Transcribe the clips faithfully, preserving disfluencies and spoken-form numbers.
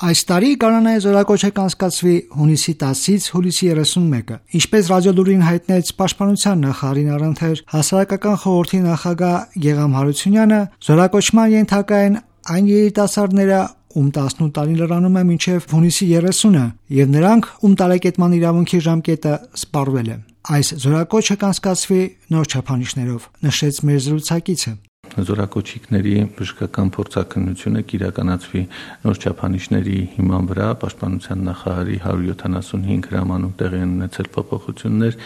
Այս տարի Գարանայի զորակոչը կանցկացվի հունիսի տասից հուլիսի երեսունմեկը։ Ինչպես ռադիոլուրին հայտնեց Պաշտպանության նախարարին առընթեր Հասարակական խորհրդի նախագահ Գեգամ Հարությունյանը, զորակոչման ենթակա են այն երիտասարդները, ում տասնութ տարին լրանում է մինչև հունիսի երեսունը, եւ նրանք, ում տարեկետման իրավունքի ժամկետը սպառվել է։ Այս զորակոչը կանցկացվի նոր չափանիշներով, նշեց մեր զրուցակիցը։ Զորակոչիկների բժշկական փորձաքննությունը կիրականացվի նոր չափանիշների հիման վրա Պաշտպանության նախարարի հարյուր յոթանասունհինգ հրամանում տեղի են ունեցել փոփոխություններ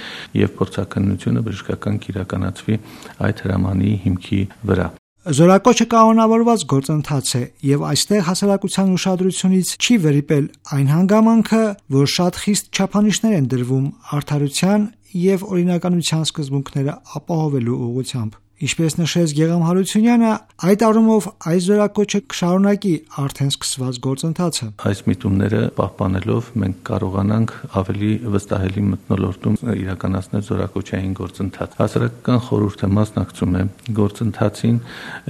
եւ փորձաքննությունը բժշկական կիրականացվի այդ հրամանի հիմքի վրա։ Զորակոչը կանոնավորված գործընթաց է եւ այստեղ հասարակության ուշադրությունից չի վերիպել այն հանգամանքը, որ շատ խիստ չափանիշներ են դրվում արդարության եւ օրինականության սկզբունքները ապահովելու ուղղությամբ։ Ինչպես նշեց Գեգամ Հարությունյանը, այդ առումով այս զորակոչը կշարունակի արդեն սկսված գործընթացը։ Այս միտումները պահպանելով մենք կարողանանք ավելի վստահելի մթնոլորտում իրականացնել զորակոչային գործընթաց։ Հասարակական խորհուրդը մասնակցում է գործընթացին,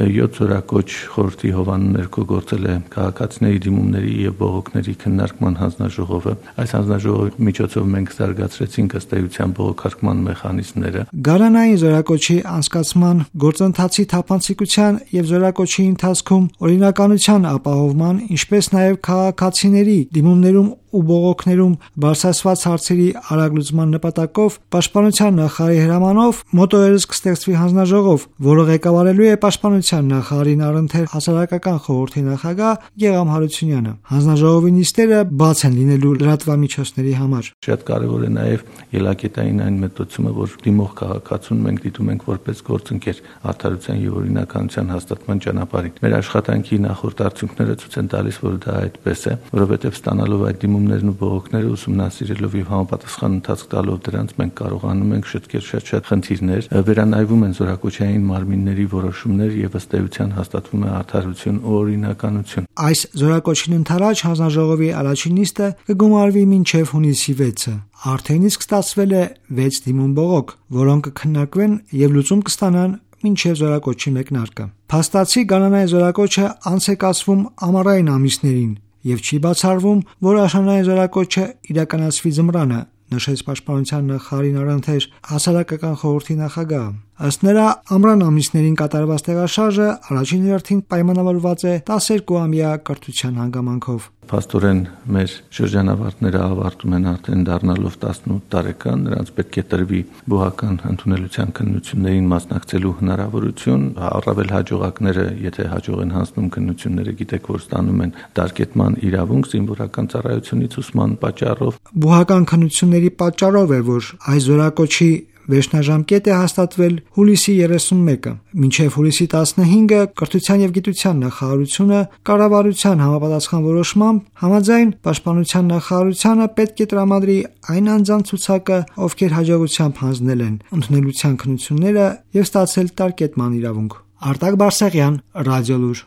յոթ զորակոչ խորհրդի հովանու ներքո գործել է քաղաքացիների դիմումների եւ բողոքների քննարկման հանձնաժողովը։ Այս հանձնաժողովի միջոցով մենք զարգացրեցինք ըստ էության բողոքարկման մեխանիզմները։ Գարանային զորակոչի անցկացման գործընթացի թափանցիկության եւ զորակոչի ընթացքում օրինականության ապահովման, ինչպես նաեւ քաղաքացիների դիմումներում ու բողոքներում բարձրացված հարցերի արագ լուծման նպատակով Պաշտպանության նախարարի հրամանով մոտորերս կստեղծվի հանձնաժողով, որը ղեկավարելու է Պաշտպանության նախարարին առընթեր Հասարակական խորհրդի նախագահ Գեգամ Հարությունյանը։ Հանձնաժողովի նիստերը բաց են լինելու լրատվամիջոցների համար։ Շատ կարևոր է նաեւ ելակետային այն մտածումը, որ դիմող քաղաքացուն մենք դիտում ենք որպես գործընկեր արդարության եւ օրինականության հաստատման ճանապարհին։ Մեր աշխատանքի նախորդ արդյունքները ցույց են տալիս, որ դա այդպես է, որովհետեւ ստանալով այդ դիմումներն ու բողոքները ուսումնասիրելով եւ համապատասխան ընթացք տալով դրանց մենք կարողանում ենք շտկել շատ-շատ խնդիրներ, վերանայվում են զորակոչային մարմինների որոշումներ եւ ըստ էության հաստատվում է արդարություն ու օրինականություն։ Այս զորակոչին ընթരാճ հանձնաժողովի առաջին նիստը կգումարվի մինչև հունիսի վեցը։ Արդեն իսկ ստացվել է վեց դիմում բողոք, որոնք կքննարկվեն եւ լուծում կստանան մինչև զորակոչի մեկնարկը։ Փաստացի Գարանայի զորակոչը անց է կացվում ամառային ամիսներին եւ չի բացառվում, որ աշնանային զորակոչը իրականացվի ձմռանը, նշեց Պաշտպանության նախարարին առընթեր Հասարակական խորհրդի նախագահը։ Ըստ նրա, ամռան ամիսներին կատարված տեղաշարժը առաջին հերթին պայմանավորված է տասներկուամյա կրթության հանգամանքով։ Փաստորեն մեր շրջանավարտները ավարտում են արդեն դառնալով տասնութ տարեկան, նրանց պետք է տրվի բուհական ընդունելության քննություններին մասնակցելու հնարավորություն, առավել հաջողակները, եթե հաջող են հանձնում քննությունները, գիտեք, որ ստանում են դարկետման իրավունք զինվորական ծառայությունից ուսման պատճառով։ Բուհական քննությունների պատճառով է, որ այս զորակոչի վերջնաժամկետ է հաստատվել հուլիսի երեսունմեկը։ Մինչև հուլիսի տասնհինգը կրթության եւ գիտության նախարարությունը կառավարության համապատասխան որոշմամբ համաձայն Պաշտպանության նախարարությանը պետք է տրամադրի այն անձանց ցուցակը, ովքեր հաջողությամբ հանձնել են ընդունելության քննությունները եւ ստացել տարկետման իրավունք։ Արտակ Բարսեղյան, Ռադիոլուր։